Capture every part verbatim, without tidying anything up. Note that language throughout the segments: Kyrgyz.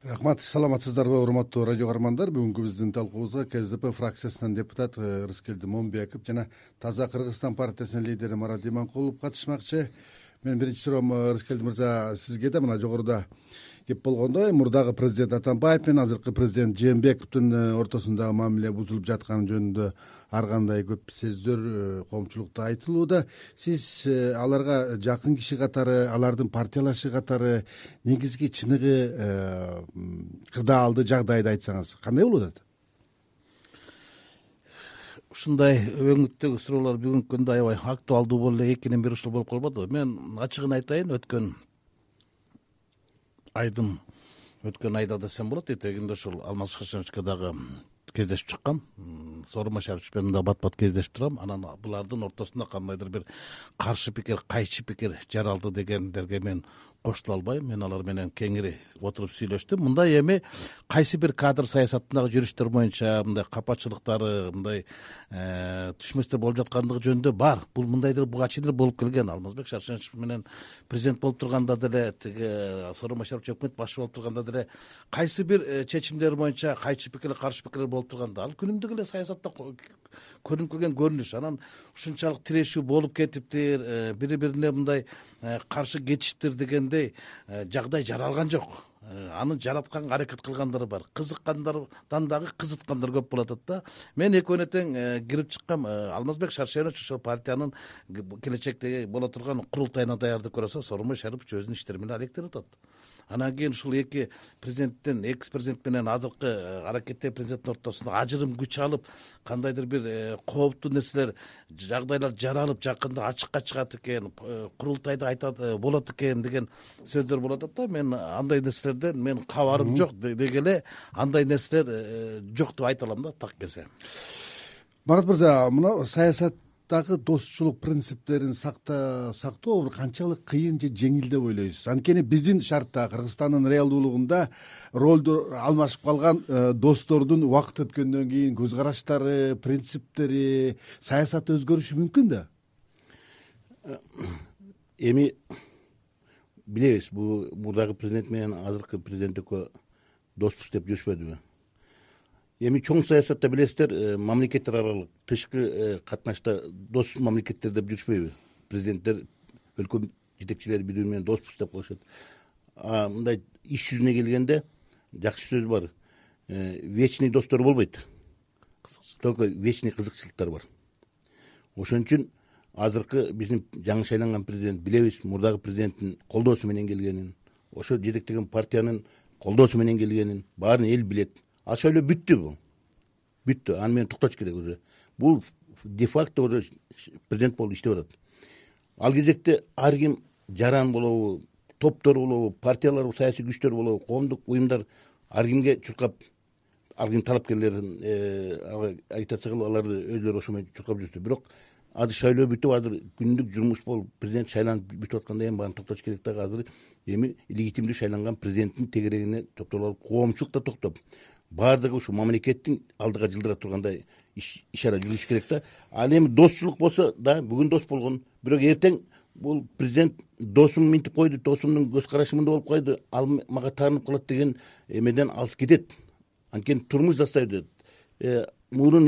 Рахмат, саламатсыздарбы урматтуу радио каармандар. Бүгүнкү биздин талкуубузга КСДП фракциясынан депутат Рыскелди Момбеков жана Таза Кыргызстан партиясынын лидери Марат Иманкулов катышмакчы. Мен биринчи суроом Рыскелди мырза сизге да. Мына жогоруда кеп болгондой, мурдагы президент Атамбаев менен азыркы президент Жээнбековдун ортосундагы мамиле бузулуп жатканы жөнүндө ар кандай көп сөздөр коомчулукта айтылууда. Сиз аларга жакын киши катары, алардын партиялашы катары негизги чыныгы кырдаалды жагдайды айтсаңыз кандай болуп атат? Ушундай өңүттөгү суроолор бүгүнкү күндө аябай актуалдуу болуп эле экинен бир ушул болуп калбады. Мен ачыгын айтайын, өткөн айдын өткөн айда десем болот, этегинде ушул Алмаз Шашеновичке дагы кездешип чыккам. Сооронбай Шарипович менен да бат-бат кездешип турам. Анан булардын ортосунда кандайдыр бир каршы пикир, кайчы пикир жаралды дегендерге мен кошуло албайм. Мен алар менен кеңири отуруп сүйлөштүм. Мындай эми кайсы бир кадр саясатындагы жүрүштөр боюнча мындай капачылыктары, мындай түшмөстөр болуп жаткандыгы жөнүндө бар. Бул мындайдыр буга чейин болуп келген. Алмазбек Шаршенович менен президент болуп турганда деле, тиги Сооронбай Шарипович өкмөт башчы болуп турганда деле кайсы бир чечимдер боюнча кайчы пикир, каршы пикир болуп турганда ал күнүмдүк эле саясатта көрүнүп келген көрүнүш. Анан ушунчалык тирешүү болуп кетиптир, бири бирине мындай каршы кетишиптир дегендей жагдай жаралган жок. Аны жаратканга аракет кылгандар бар. Кызыккандардан дагы кызыткандар көп болуп атат да. Мен экөөнө тең кирип чыккам. Алмазбек Шаршенович ошол партиянын келечектеги боло турган курултайына даярдык көрөсө, Сооронбай Шарипович өзүнүн иштери менен алектенип атат. Анан кийин ушул эки президенттен, экс президент менен азыркы аракеттеги президенттин ортосунда ажырым күч алып, кандайдыр бир кооптуу нерселер, жагдайлар жаралып, жакында ачыкка чыгат экен, курултайда айтат болот экен деген сөздөр болуп атат да. Мен андай нерселерден мен кабарым жок деги эле, андай нерселер жок деп айта алам да, так келсе. Марат мырза, мына саясат дагы достчулук принциптерин сактоо канчалык кыйын же жеңил деп ойлойсуз? Анткени биздин шартта, Кыргызстандын реалдуулугунда ролду алмашып калган достордун убакыт өткөндөн кийин көз караштары, принциптери, саясаты өзгөрүшү мүмкүн да. Эми билебиз, бул мурдагы президент менен азыркы президент экөө доспуз деп жүрүшпөдүбү? Эми чоң саясатта билесиздер, мамлекеттер аралык тышкы катнашта дос мамлекеттер деп жүрүшпөйбү? Президенттер, өлкө жетекчилери бири бири менен доспуз деп коюшат. А мындай иш жүзүнө келгенде жакшы сөз бар. Вечный достор болбойт. Только вечный кызыкчылыктар бар. Ошон үчүн азыркы биздин жаңы шайланган президент, билебиз, мурдагы президенттин колдоосу менен келгенин, ошо жетектеген партиянын колдоосу менен келгенин баарын эл билет. Ал шайлоо бүттү бул. Бүттү. Аны менен токтош керек уже. Бул де-факто уже президент болуп иштеп атат. Ал кезекте ар ким жаран болобу, топтор болобу, партиялар, саясий күчтөр болобу, коомдук уюмдар ар кимге чуркап, ар ким талапкерлерин агитация кылып, аларды өзүлөрү ошо менен чуркап жүрүштү. Бирок азыр шайлоо бүтүп, азыр күндүк жумуш болуп, президент шайланып бүтүп атканда эми баарын токтош керек да. Азыр эми легитимдүү шайланган президенттин тегерегине токтолуп алып, коомчулук да токтоп, баардыгы ушу мамлекеттин алдыга жылдыра тургандай ишара жүрүш керек да. Ал эми достчулук болсо да, бүгүн дос болгон, бирок эртең бул президент досум минтип койду, досумдун көз карашы мындай болуп койду, ал мага таанып калат деген эмеден алыс кетет. Анткени турмуш застай өтөт. Мурун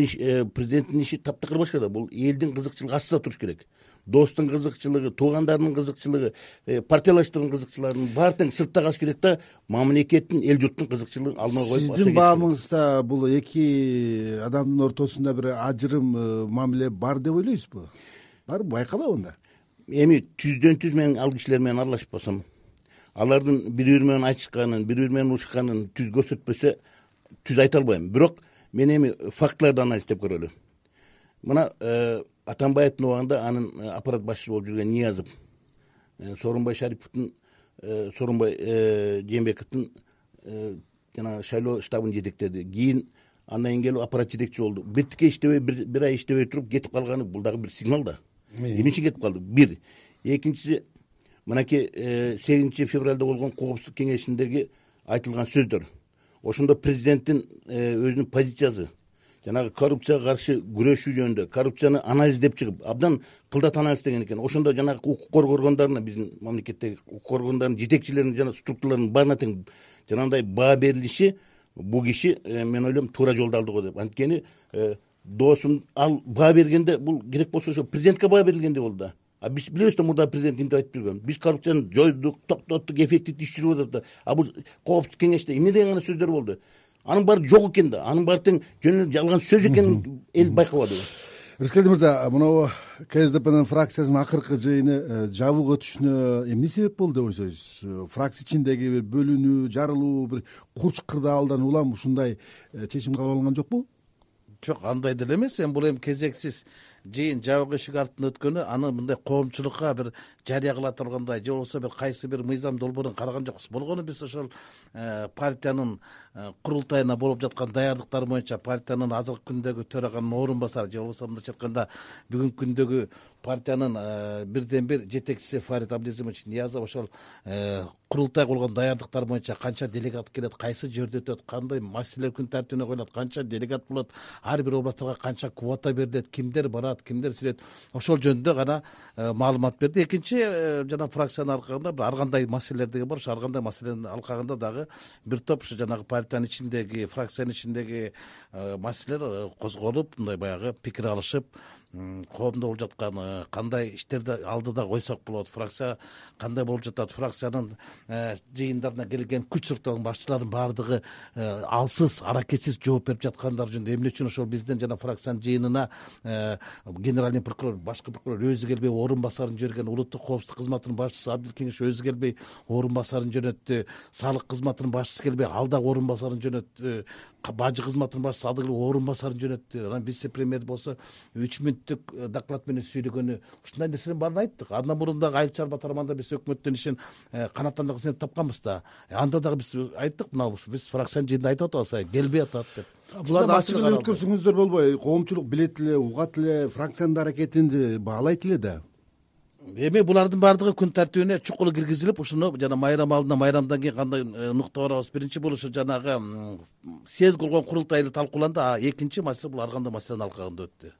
президенттин иши таптакыр башка. Бул элдин кызыкчылыгы астында туруш керек. Достун кызыкчылыгы, туугандарынын кызыкчылыгы, партиялаштардын кызыкчылыгын баары тең сыртта калыш керек да. Мамлекеттин, эл журттун кызыкчылыгын алдына коюп. Сиздин баамыңызда бул эки адамдын ортосунда бир ажырым мамиле бар деп ойлойсузбу? Барбы, байкалабы анда? Эми түздөн түз мен ал кишилер менен аралашып басам, алардын бири бири менен айтышканын, бири бири менен урушканын түз көрсөтпөсө түз айта албайм. Бирок мен эми фактыларды анализдеп көрөлү. Мына Атамбаевдин убагында анын аппарат башчысы болуп жүргөн Ниязов, Сооронбай Шариповдун, Сооронбай Жээнбековдун жана шайлоо штабын жетектеди. Кийин андан кийин келип аппарат жетекчи болду. Биртикке иштебей, бир ай иштебей туруп кетип калганы бул дагы бир сигнал да. Эмне үчүн кетип калды? Бир. Экинчиси, мынакей сегизинчи февралда болгон коопсуздук кеңешиндеги айтылган сөздөр. Ошондо президенттин өзүнүн позициясы, жанагы коррупцияга каршы күрөшүү жөнүндө, коррупцияны анализдеп чыгып, абдан кылдат анализ деген экен. Ошондо жанагы укук коргоо органдарына, биздин мамлекеттеги укук коргоо органдарынын жетекчилеринин жана структураларынын баарына тең жанагындай баа берилиши бул киши мен ойлойм туура жолду алды го деп. Анткени досум ал баа бергенде бул керек болсо ошо президентке баа берилгендей болду да. А биз билебиз да мурда президент эмне айтып жүргөн. Биз коррупцияны жойдук, токтоттук, эффективдүү иш жүрүп атат да. А бул коопсуздук кеңеште эмне деген гана сөздөр болду. Анын баары жок экен да. Анын баары тең жөн эле жалган сөз экенин эл байкабады. Рыскелди мырза, мына КСДПнын фракциясынын акыркы жыйыны жабууга өтүшүнө эмне себеп болду деп ойлойсуз? Фракция ичиндеги бир бөлүнүү, жарылуу, бир курч кырдаалдан улам ушундай чечим кабыл алынган жокпу? Жок, андай деле эмес. Эми бул эми кезексиз жыйын жабык эшик артында өткөнү, аны мындай коомчулукка бир жарыя кыла тургандай же болбосо бир кайсы бир мыйзам долбоорун караган жокпуз. Болгону биз ошол партиянын курултайына болуп жаткан даярдыктар боюнча партиянын азыркы күндөгү төраганын орун басары же болбосо мындайча айтканда бүгүнкү күндөгү партиянын бирден бир жетекчиси Фарид Абдизимович Ниязов ошол курултай кылган даярдыктар боюнча канча делегат келет, кайсы жерде өтөт, кандай маселелер күн тартибине коюлат, канча делегат болот, ар бир областтарга канча квота берилет, кимдер барат, кимдер сүйлөйт, ошол жөнүндө гана маалымат берди. Экинчи жана фракциянын алкагында бир ар кандай маселелер деген бар. Ошо ар кандай маселенин алкагында дагы бир топ ушу жанагы партиянын ичиндеги, фракциянын ичиндеги маселелер козголуп, мындай баягы пикир алышып, коомдо болуп жаткан кандай иштерди алдыда койсок болот, фракция кандай болуп жатат, фракциянын жыйындарына келген күч структураларынын башчыларынын баардыгы алсыз, аракетсиз жооп берип жаткандар жөнүндө эмне үчүн ошол биздин жана фракциянын жыйынына генеральный прокурор, башкы прокурор өзү келбей орун басарын жиберген, улуттук коопсуздук кызматынын башчысы Абдилкеңиш өзү келбей орун басарын жөнөттү, салык кызматынын башчысы келбей ал дагы орун басарын жөнөттү, бажы кызматынын башчысы ал дагы орун басарын жөнөттү. Анан вице премьер болсо үч мүнөттүк доклад менен сүйлөгөнү, ушундай нерселердин баарын айттык. Андан мурун дагы Айыл чарба тармагында биз өкмөттөн ишин канаттандырган себеп тапканбыз да. Анда дагы биз айттык, мына биз фракциянын жыйынында айтып атабыз, келбей атат деп. Буларды ачык эле өткөрсөңүздөр болбой, коомчулук билет эле, угат эле, фракциянын аракетин баалайт эле да. Эми булардын баардыгы күн тартибине чукул киргизилип, ушуну жана майрам алдында, майрамдан кийин кандай нукта барабыз. Биринчи бул ушу жанагы съезд кылган курултайда талкууланды, а экинчи маселе бул ар кандай маселенин алкагында өттү.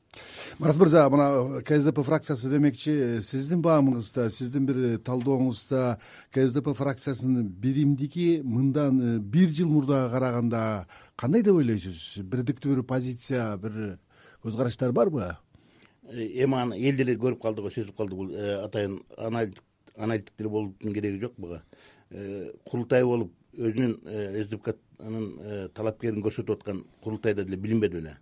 Марат мырза, мына КСДП фракциясы демекчи, сиздин баамыңызда, сиздин бир талдооңузда КСДП фракциясынын биримдиги мындан бир жыл мурдага караганда кандай деп ойлойсуз? Бирдиктүү бир позиция, бир көз караштар барбы? Эми аны эл деле көрүп калды го, сезип калды. Бул атайын аналитик деле болуптун кереги жок буга. Курултай болуп өзүнүн СДПКнын талапкерин көрсөтүп аткан курултайда деле билинбеди беле.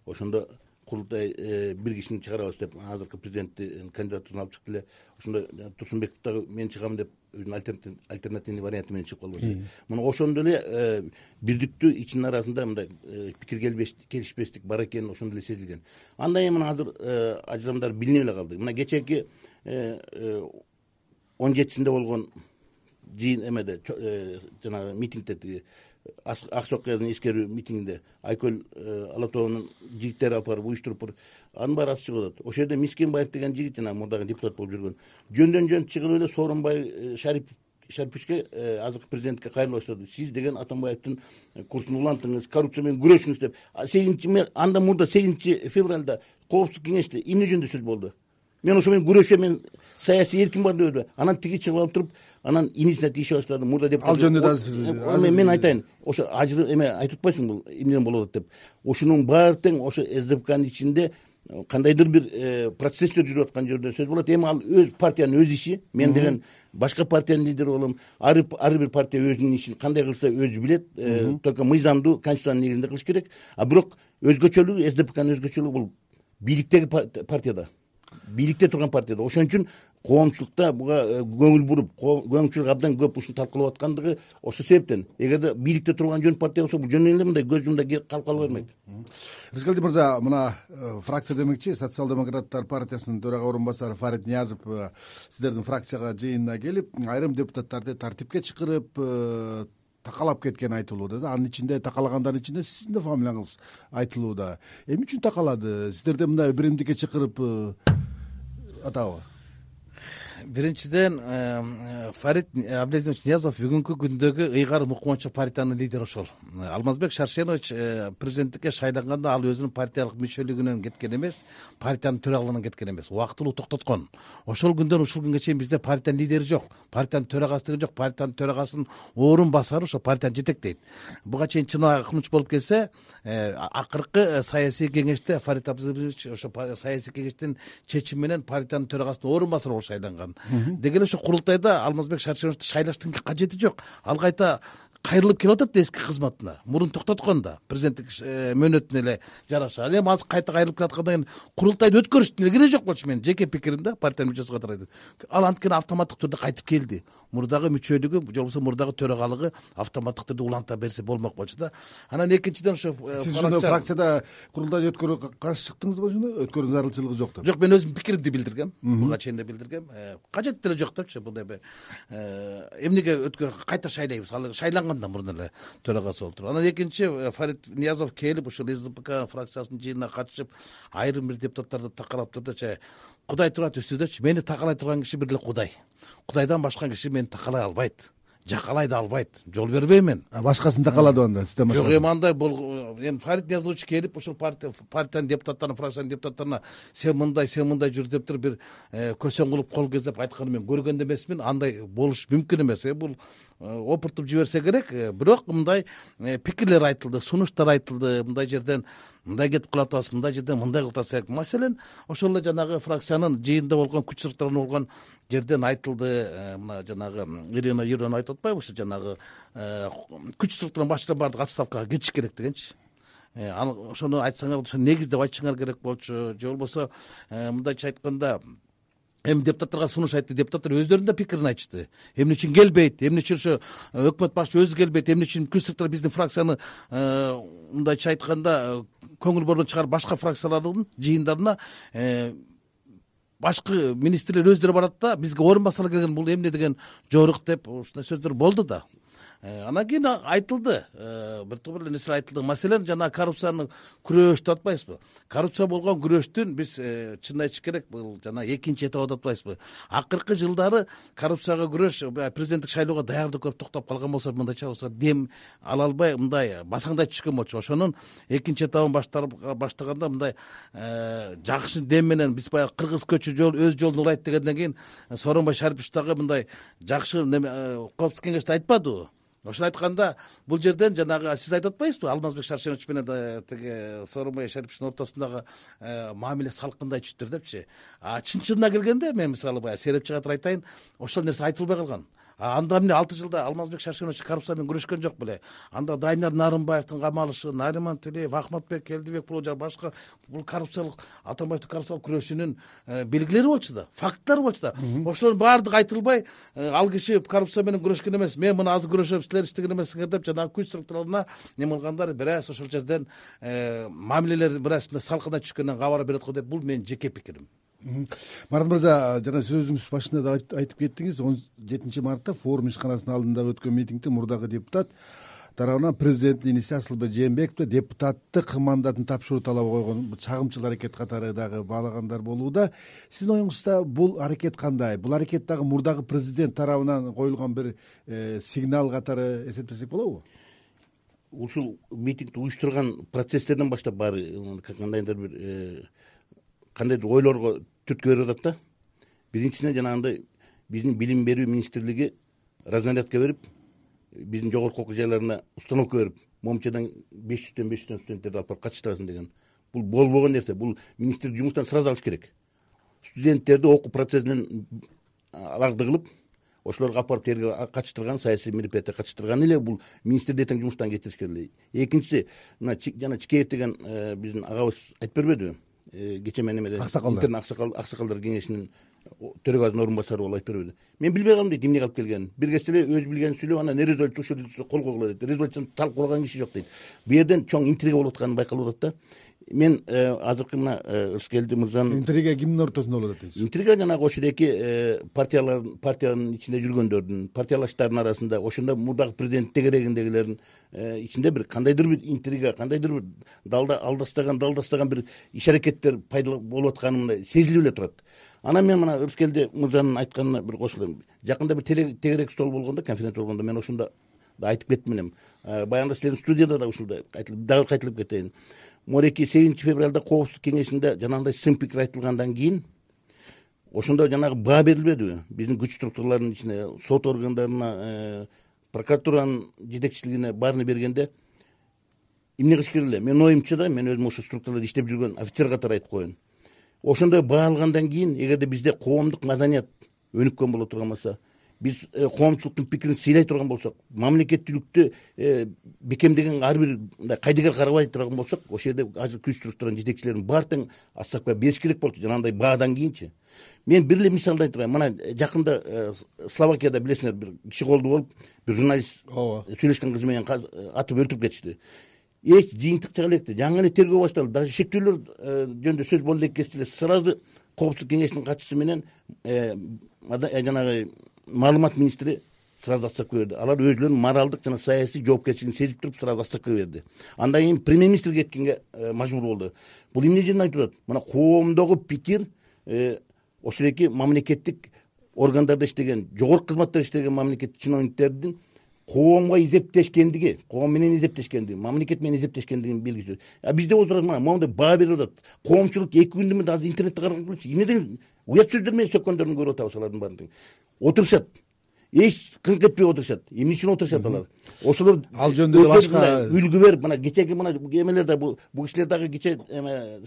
Ошондо курултай бир кишини чыгарабыз деп азыркы президенттин кандидатурун алып чыкты эле. Ошондо Турсунбеков дагы мен чыгам деп өзүнүн альтернативный варианты менен чыгып калды. Мына ошондо эле бирдиктүү ичинин арасында мындай пикир келишпестик бар экени ошондо эле сезилген. Андан кийин мына азыр ажырамдар билинип эле калды. Мына кечээки он жетисинде болгон жыйын эмеде жанагы митингде, тиги ак сокказдын эскерүү митингинде Айкөл Алатоонун жигиттери алып барып уюштуруп, анын баары ачык чыгып атат. Ошол жерде Мискенбаев деген жигит жана мурдагы депутат болуп жүргөн жөндөн жөн чыгып эле Сооронбай Шариповичке азыркы президентке кайрыла баштады. Сиз деген Атамбаевдин курсун улантыңыз, коррупция менен күрөшүңүз деп. сегизинчи анда мурда сегизинчи февралда коопсуздук кеңеште эмне жөнүндө сөз болду? Мен ошо менен күрөшөм, мен саясий эркин бар деп. Анан тиги чыгып алып туруп, анан инисине тийише баштады. Мурда деп ал жөнүндө да сиз мен айтайын, ошо ажыр эме айтып атпайсың бул эмнеден болуп атат деп. Ошонун баары тең ошо СДПКнын ичинде кандайдыр бир процесстер жүрүп аткан жерде сөз болот. Эми ал өз партиянын өз иши. Мен деген башка партиянын лидери болом. Ар бир партия өзүнүн ишин кандай кылса өзү билет. Только мыйзамдуу конституциянын негизинде кылыш керек. А бирок өзгөчөлүгү, СДПКнын өзгөчөлүгү бул бийликтеги партияда, бийликте турган партияда. Ошон үчүн коомчулукта буга көңүл буруп, коомчулук абдан көп ушуну талкуулап аткандыгы ошол себептен. Эгерде бийликте турган жөн партия болсо, бул жөн эле мындай көз жумда калып кала бермек. Рыскелди мырза, мына фракция демекчи, Социал-демократтар партиясынын төрага орун басары Фарид Ниязов сиздердин фракцияга жыйынына келип, айрым депутаттарды тартипке чакырып, такалап кеткени айтылууда да. Анын ичинде такалагандардын ичинде сиздин да фамилияңыз айтылууда. Эмне үчүн такалады? Сиздерде мындай биримдикке чакырып атабы? биринчиден Фарид Абдулазизович Ниязов бүгүнкү күндөгү ыйгар мукманчы партиянын лидери ошол. Алмазбек Шаршенович президенттикке шайланганда ал өзүнүн партиялык мүчөлүгүнөн кеткен эмес, партиянын төрагалыгынан кеткен эмес, убактылуу токтоткон. Ошол күндөн ушул күнгө чейин бизде партиянын лидери жок, партиянын төрагасы жок, партиянын төрагасынын орун басары ошо партияны жетектейт. Буга чейин чын акылмыч болуп келсе, акыркы саясий кеңеште Фарид Абдулазизович ошо саясий кеңештин чечими менен партиянын төрагасынын орун басары болуп шайланган. Деги эле ошо курултайда Алмазбек Шаршеновичти шайлаштын кажети жок. Ал кайта кайрылып келип атат эски кызматына. Мурун токтоткон да президенттик мөөнөтүнө эле жараша. Ал эми азыр кайта кайрылып келаткандан кийин курултайды өткөрүштүн кереги жок болчу. Менин жеке пикирим да, партиянын мүчөсү катары. Ал анткени автоматтык түрдө кайтып келди. Мурдагы мүчөлүгү, же болбосо мурдагы төрагалыгы автоматтык түрдө уланта берсе болмок болчу да. Анан экинчиден ошо сиз жана фракцияда курултайды өткөрүүгө каршы чыктыңызбы жана өткөрүү зарылчылыгы жок деп? Жок, мен өзүмдүн пикиримди билдиргем. Буга чейин да билдиргем. Кажет деле жок депчи. Бундай бир эмнеге өткөрүп кайта шайлайбыз? Ал шайланганда мурун эле төрагасы болуп туруп. Анан экинчи Фарид Ниязов келип ушул СДПК фракциясынын жыйынына катышып, айрым бир депутаттарды такалап турдучу, Кудай турат үстүдөчү. Мени такалай турган киши бир эле Кудай. Кудайдан башка киши мени такалай албайт. Жакалай да албайт. Жол бербейм мен. А башкасын такалады анда, сизден башка. Жок, эми андай бул эми Фарид Ниязович келип ушул партия партиянын депутаттарына, фракциянын депутаттарына сен мындай, сен мындай жүр деп туруп бир көсөң кылып кол кезеп айтканын мен көргөн да эмесмин. Андай болуш мүмкүн эмес. Бул опуртуп жиберсе керек. Бирок мындай пикирлер айтылды, сунуштар айтылды. Мындай жерден мындай кетип калып атабыз, мындай жерден мындай кылып атабыз. Маселен, ошол эле жанагы фракциянын жыйында болгон күч сырыктарын болгон жерден айтылды. Мына жанагы Ирина Юрьевна айтып атпайбы, ушу жанагы күч сырыктын башчылары баардык отставкага кетиш керек дегенчи. Ошону айтсаңар, ошо негиз деп айтышыңар керек болчу. Же болбосо мындайча айтканда, эми депутаттарга сунуш айтты, депутаттар өздөрүнүн да пикирин айтышты. Эмне үчүн келбейт, эмне үчүн ошо өкмөт башчы өзү келбейт, эмне үчүн күч сырыктар биздин фракцияны мындайча айтканда көңүл бурбон чыгарып башка фракциялардын жыйындарына башкы министрлер өздөрү барат да, бизге орун басары келген, бул эмне деген жорук деп ушундай сөздөр болду да. Анан кийин айтылды, бир топ эле нерсе айтылды. Маселен, жана коррупцияны күрөш деп атпайсызбы? Коррупция болгон күрөштүн биз чын айтыш керек, бул жана экинчи этап деп атпайсызбы? Акыркы жылдары коррупцияга күрөш президенттик шайлоого даярдык көрүп токтоп калган болсо, мындайча болсо дем ала албай, мындай басаңдай түшкөн болчу. Ошонун экинчи этабын баштаганда мындай жакшы дем менен биз баягы кыргыз көчү жол өз жолун улайт дегенден кийин Сооронбай Шарипович дагы мындай жакшы коопсуздук кеңеште айтпадыбы? Ошону айтканда, бул жерден жанагы сиз айтып атпайсызбы, Алмазбек Шаршенович менен тиги Сооронбай Шариповичтин ортосундагы мамиле салкындай түштүр депчи. А чын-чынына келгенде, мен мисалы баягы серепчи катары айтайын, ошол нерсе айтылбай калган. Анда эмне алты жылда Алмазбек Шаршенович коррупция менен күрөшкөн жок беле? Анда Дайнар Нарымбаевдин камалышы, Нариман Тилеев, Ахматбек Келдибек бул жана башка бул коррупциялык Атамбаевдин коррупциялык күрөшүнүн белгилери болчу да, факттар болчу да. Ошолордун баардыгы айтылбай, ал киши коррупция менен күрөшкөн эмес, мен мына азыр күрөшөм, силер иштеген эмессиңер деп жанагы күч структураларына неме кылгандар, бир аз ошол жерден мамилелер бир аз салкындай түшкөндөн кабар берет го деп, бул менин жеке пикирим. Марат мырза, жана сөзүңүз башында да айтып кеттиңиз, он жетинчи мартта форум ишканасынын алдында өткөн митингде мурдагы депутат тарабынан президенттин иниси Асылбек Жээнбековго депутаттык мандатын тапшыруу талабы койгон чагымчыл аракет катары дагы баалагандар болууда. Сиздин оюңузда бул аракет кандай? Бул аракет дагы мурдагы президент тарабынан коюлган бир сигнал катары эсептесек болобу? Ушул митингди уюштурган процесстерден баштап баары кандайдыр бир кандайдыр ойлорго түрткү берип атат да. Биринчиден жанагындай биздин билим берүү министрлиги разнарядка берип, биздин жогорку окуу жайларына установка берип, момчадан беш жүздөн беш жүздөн студенттерди алып барып катыштырасың деген. Бул болбогон нерсе. Бул министрлик жумуштан сразу алыш керек. Студенттерди окуу процессинен аларды кылып, ошолорду алып барып терге катыштырган, саясий мероприятия катыштырган эле бул министрди эртең жумуштан кетириш керек. Экинчиси, мына жана Чикеев деген биздин агабыз айтып бербедиби? Кече мен эмеде интерн аксакалдар кеңешинин төрөгасынын орун басары болуп айтып бербеди. Мен билбей калдым дейт, эмнеге алып келгенин. Бир кезде эле өз билгенин сүйлөп, анан не резолюция ушул кол койгула дейт. Резолюцияны талкуулаган киши жок дейт. Бу жерден чоң интрига болуп атканы байкалып атат да. Мен азыркы мына Рыскелди мырзанын интрига кимдин ортосунда болуп атат дейсиз? Интрига жанагы ошодеки партиялар, партиянын ичинде жүргөндөрдүн, партиялаштардын арасында, ошондо мурдагы президент тегерегиндегилердин ичинде бир кандайдыр бир интрига, кандайдыр бир далда алдастаган, далдастаган бир иш аракеттер пайда болуп атканы мындай сезилип эле турат. Анан мен мына Рыскелди мырзанын айтканына бир кошулайм. Жакында бир тегерек стол болгондо, конференция болгондо мен ошондо да айтып кеттим элем. Баягында силердин студияда да ушундай айтылып, дагы кайталап кетейин. Мореки сегизинчи февралда Коопсуздук кеңешинде жанагындай сын пикир айтылгандан кийин ошондо жанагы баа берилбедиби? Биздин күч структураларынын ичине, сот органдарына, прокуратуранын жетекчилигине баарын бергенде эмне кылыш керек эле? Менин оюмча да, мен өзүм ошо структураларда иштеп жүргөн офицер катары айтып коеюн. Ошондой баа алгандан кийин, эгерде бизде коомдук маданият өнүккөн боло турган болсо, биз коомчулуктун пикирин сыйлай турган болсок, мамлекеттүүлүктү бекемдеген ар бир мындай кайдыгер карабай турган болсок, ошол жерде азыр күч структуранын жетекчилерин баары тең отставкага бериш керек болчу, жанагындай баадан кийинчи. Мен бир эле мисалды айтып турайын. Мына жакында Словакияда билесиңер, бир киши колду болуп, бир журналист сүйлөшкөн кызы менен атып өлтүрүп кетишти. Эч жыйынтык чыга электи. Жаңы эле тергөө башталды. Даже шектүүлөр жөнүндө сөз болду элек кезде сразу Коопсуздук кеңешинин катчысы менен жанагы маалымат министри сразу отставка берди. Алар өзлөрүнүн моралдык жана саясий жоопкерчилигин сезип туруп сразу отставка берди. Андан кийин премьер-министр кеткенге мажбур болду. Бул эмне жерден айтып турат? Мына коомдогу пикир ошолеки мамлекеттик органдарда иштеген, жогорку кызматта иштеген мамлекеттик чиновниктердин коомго изептешкендиги, коом менен изептешкендиги, мамлекет менен изептешкендигинин белгиси. А бизде отурат мына моундай баа берип атат. Коомчулук эки күндү азыр интернетте карап көрчү. Эмнеден уят сөздөр менен сөккөндөрүн көрүп атабыз алардын баарын. Отурушат. Эч кыңк этпей отурушат. Эмне үчүн отурушат алар? Ошолор ал жөнүндө башка үлгү берип, мына кечеги мына эмелерде бул бул кишилер дагы кече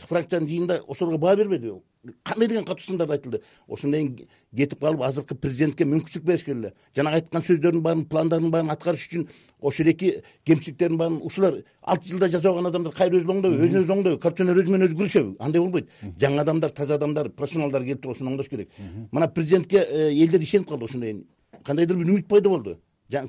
фракциянын жыйынында ошолорго баа бербеди. Кандай деген катуу сындар айтылды. Ошондон кийин кетип калып азыркы президентке мүмкүнчүлүк бериш керек эле. Жанагы айткан сөздөрдүн баарын, пландардын баарын аткарыш үчүн ошол эки кемчиликтердин баарын ушулар алты жылда жасаган адамдар кайра өзүн оңдойбу, өзүн өзү оңдойбу, коррупционер өзү менен өзү күрөшөбү? Андай болбойт. Жаңы адамдар, таза адамдар, профессионалдар келип туруп ошону оңдош керек. Мына президентке элдер ишенип калды ошондой. Кандайдыр бир үмүт пайда болду.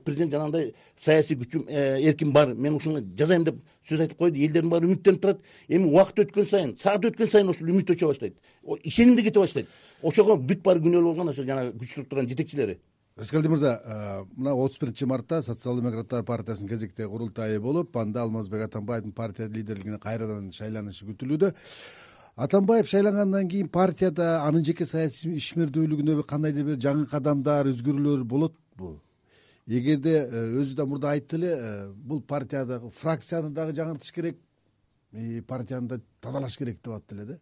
Президент жанагындай саясий күчүм, эрким бар, мен ушуну жазайм деп сөз айтып койду. Элдердин баары үмүттөнүп турат. Эми убакыт өткөн сайын, саат өткөн сайын ошол үмүт өчө баштайт. Ишеним да кете баштайт. Ошого бүт баары күнөөлүү болгон ошо жанагы күч структуранын жетекчилери. Рыскелди мырза, мына отуз биринчи мартта Социал-демократтар партиясынын кезектеги курултайы болуп, анда Алмазбек Атамбаевдин партия лидерлигине кайрадан шайланышы күтүлүүдө. Атамбаев шайлангандан кийин партияда анын жеке саясий ишмердүүлүгүнө кандайдыр бир жаңы кадамдар, өзгөрүүлөр болотпу? Эгерде өзү да мурда айтты эле, бул партиядагы фракцияны дагы жаңыртыш керек, партияны да тазалаш керек деп атты эле да.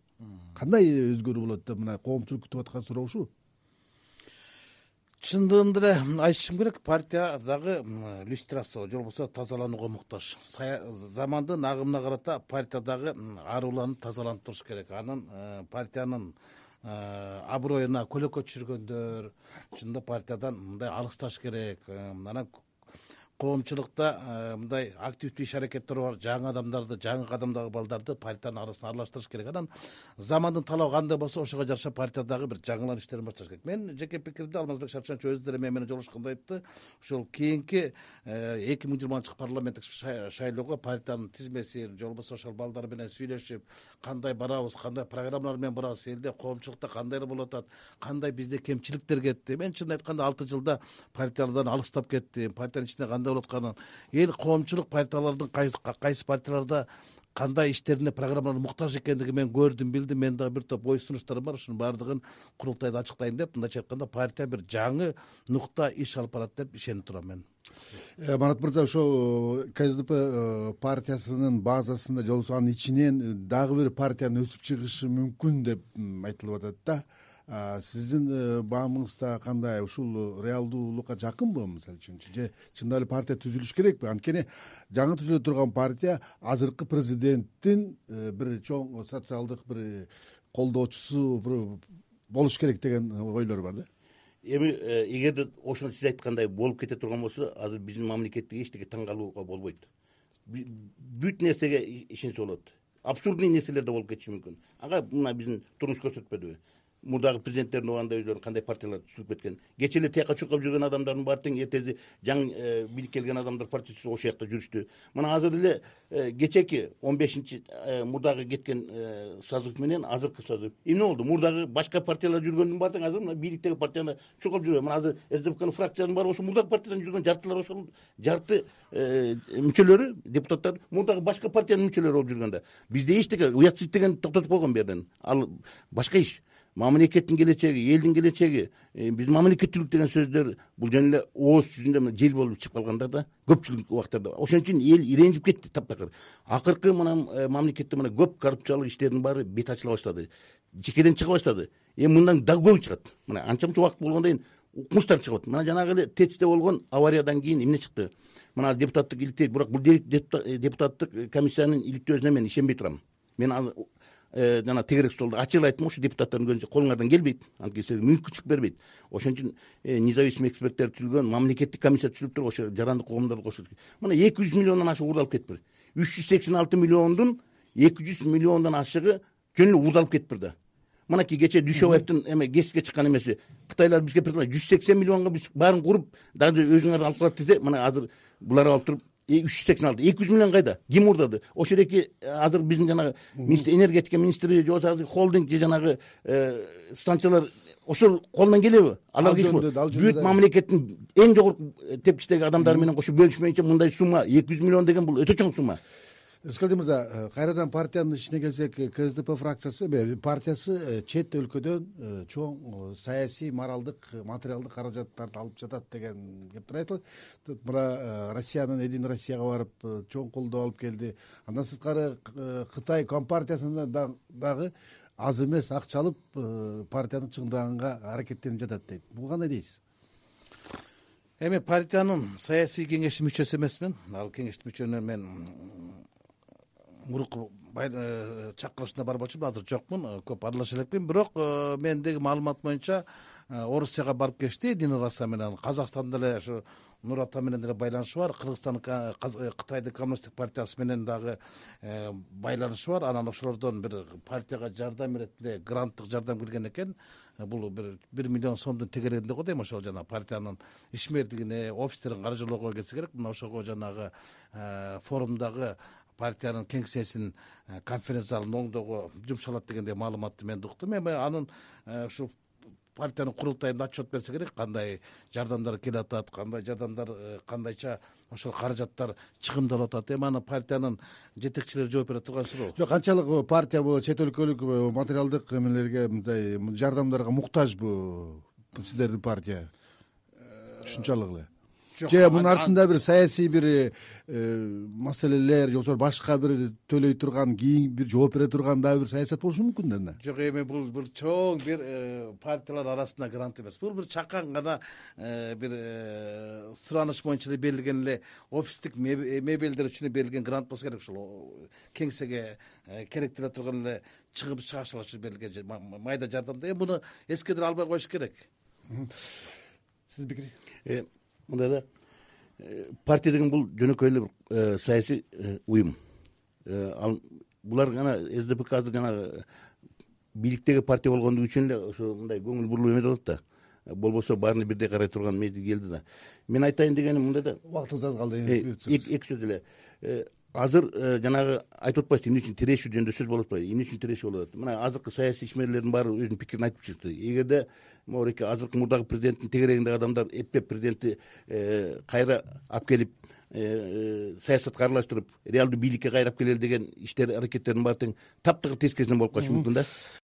Кандай өзгөрүү болот деп мына коомчулук күтүп аткан суроо ушул. Чындыгында эле айтышым керек, партия дагы иллюстрация, же болбосо тазаланууга муктаж. Замандын агымына карата партия дагы аруланып, тазаланып туруш керек. Анын партиянын аброюна көлөкө түшүргөндөр, чында партиядан мындай алысташ керек. Анан коомчулукта мындай активдүү иш аракеттер бар, жаңы адамдарды, жаңы кадамдагы балдарды партиянын арасына аралаштырыш керек. Анан замандын талабы кандай болсо, ошого жараша партиядагы бир жаңылан иштерин башташ керек. Мен жеке пикиримде Алмазбек Шарчанович өзү деле мен менен жолугушканда айтты. Ошол кийинки эки миң жыйырманчы жылкы парламенттик шайлоого партиянын тизмесин, же болбосо ошол балдар менен сүйлөшүп, кандай барабыз, кандай программалар менен барабыз, элде коомчулукта кандай болуп атат, кандай бизде кемчиликтер кетти. Мен чын айтканда алты жылда партиялардан алыстап кеттим. Партиянын ичинде кандай болуп атканын, эл коомчулук партиялардын кайсы кайсы партияларда кандай иштерине, программаларына муктаж экендигин мен көрдүм, билдим. Мен дагы бир топ ой сунуштарым бар, ушунун баардыгын курултайда ачыктайын деп, мындайча айтканда партия бир жаңы нукта иш алып барат деп ишенип турам мен. Марат мырза, ошо КСДП партиясынын базасында, же болбосо анын ичинен дагы бир партиянын өсүп чыгышы мүмкүн деп айтылып атат да. Сиздин баамыңызда кандай, ушул реалдуулукка жакынбы мисалы үчүн? Же чындап эле партия түзүлүш керекпи? Анткени жаңы түзүлө турган партия азыркы президенттин бир чоң социалдык бир колдоочусу болуш керек деген ойлор бар да. Эми эгерде ошону сиз айткандай болуп кете турган болсо, азыр биздин мамлекетте эчтеке таң калууга болбойт. Бүт нерсеге ишенсе болот. Абсурдный нерселер да болуп кетиши мүмкүн. Ага мына биздин турмуш көрсөтпөдүбү? Мурдагы президенттердин убагында өздөрү кандай партиялар түзүлүп кеткен. Кече эле тияка чуркап жүргөн адамдардын баары тең эртеси жаңы бийлик келген адамдар партиясы ошол жакта жүрүштү. Мына азыр эле кечеки он бешинчи мурдагы кеткен созыв менен азыркы созыв эмне болду? Мурдагы башка партиялар жүргөндүн баары тең азыр мына бийликтеги партияны чуркап жүрөт. Мына азыр СДПКнын фракциянын баары ошо мурдагы партиядан жүргөн, жартылар ошол жарты мүчөлөрү, депутаттар мурдагы башка партиянын мүчөлөрү болуп жүргөндө. Бизде эчтеке уятсыз деген токтотуп койгон бу жерден. Ал башка иш. мамлекеттин келечеги, элдин келечеги, биз мамлекеттүүлүк деген сөздөр бул жөн эле ооз жүзүндө мына жел болуп чыгып калгандар да көпчүлүк убактарда. Ошон үчүн эл иренжип кетти таптакыр. Акыркы мына мамлекетте мына көп коррупциялык иштердин баары бет ачыла баштады, жекеден чыга баштады. Эми мындан дагы көбү чыгат. Мына анча мынча убакыт болгондон кийин укмуштар чыгып атат. Мына жанагы эле ТЭЦте болгон авариядан кийин эмне чыкты? Мына депутаттык иликтей, бирок бул депутаттык комиссиянын иликтөөсүнө мен ишенбей турам. Мен жана тегерек столдо ачык эле айттым, ушу депутаттардын көзүнчө колуңардан келбейт, анткени силерге мүмкүнчүлүк бербейт. Ошон үчүн независимый эксперттер түзүлгөн мамлекеттик комиссия түзүлүп туруп, ошо жарандык коомдорду кошуп. Мына эки жүз миллиондон ашык уурдалып кетиптир. үч жүз сексен алты миллиондун эки жүз миллиондон ашыгы жөн эле уурдалып кетиптир да. Мынакей кече Дүйшөбаевдин эме геске чыккан эмеси, Кытайлар бизге предлагать жүз сексен миллионго биз баарын куруп, даже өзүңөр алып калат десе, мына азыр булар алып туруп үч жүз сексен алты, эки жүз миллион кайда? Ким уурдады? Ошол эки азыр биздин жанагы энергетика министри же болбосо холдинг же жанагы станциялар ошол колунан келеби? Алар бүт мамлекеттин эң жогорку тепкичтеги адамдары менен кошо бөлүшмөйүнчө мындай сумма эки жүз миллион деген бул өтө чоң сумма. Рыскелди мырза, кайрадан партиянын ичине келсек, КСДП фракциясы партиясы чет өлкөдөн чоң саясий, моралдык, материалдык каражаттарды алып жатат деген кептер айтылат. Мына Россиянын Единый Россияга барып чоң колдоо алып келди. Андан сырткары Кытай компартиясына дагы аз эмес акча алып партияны чыңдаганга аракеттенип жатат дейт. Буга кандай дейсиз? Эми партиянын саясий кеңеши мүчөсү эмесмин. Ал кеңештин мүчөнү мен мурукку чакырылышына барбочумун, азыр жокмун, көп аралаша элекмин. Бирок мендеги маалымат боюнча Орусияга барып келишти, Единый Россия менен. Казакстанда деле ошо Нур Ата менен деле байланышы бар, Кыргызстан, Кытайдын коммунисттик партиясы менен дагы байланышы бар. Анан ошолордон бир партияга жардам иретинде гранттык жардам келген экен. Бул бир бир миллион сомдун тегерегинде го дейм, ошол жана партиянын ишмердигине, офистерин каржылоого келсе керек. Мына ошого жанагы форумдагы партиянын кеңсесин конференция залынын оңдоого жумшалат дегендей маалыматты мен уктум. Эми анын ушул партиянын курултайында отчет берсе керек, кандай жардамдар келип атат, кандай жардамдар, кандайча ошол каражаттар чыгымдалып атат. Эми аны партиянын жетекчилери жооп бере турган суроо. Жок, канчалык партия бул чет өлкөлүк материалдык эмелерге, мындай жардамдарга муктажбы сиздердин партия? Ушунчалык эле. Же мунун артында бир саясий бир маселелер же болбосо башка бир төлөй турган, кийин бир жооп бере турган дагы бир саясат болушу мүмкүн да эмне? Жок, эми бул бир чоң бир партиялар арасында грант эмес. Бул бир чакан гана бир сураныш боюнча эле берилген эле офистик мебелдер үчүн берилген грант болсо керек. Ушул кеңсеге керектеле турган эле чыгып чыгашалар үчүн берилген майда жардамда. Эми буну эскедире албай коюш керек. Сиздин пикири? Мындай да, партия деген бул жөнөкөй эле бир саясий уюм. Ал булар гана СДПК азыр жана бийликтеги партия болгондугу үчүн эле ошо мындай көңүл бурулуп эметип атат да. Болбосо баарына бирдей карай турган мезгил келди да. Мен айтайын дегеним мындай да. Убактыңыз аз калды. Эки сөз эле. Азыр жанагы айтып атпайсызбы, эмне үчүн тирешүү жөнүндө сөз болуп атпайбы? Эмне үчүн тирешүү болуп атат? Мына азыркы саясий ишмерлердин баары өзүнүн пикирин айтып чыкты. Эгерде моореке азыркы мурдагы президенттин тегерегиндеги адамдар эптеп президентти кайра алып келип саясатка аралаштырып, реалдуу бийликке кайра алып келели деген иштер, аракеттердин баары тең таптакыр тескерисинен болуп калышы мүмкүн да.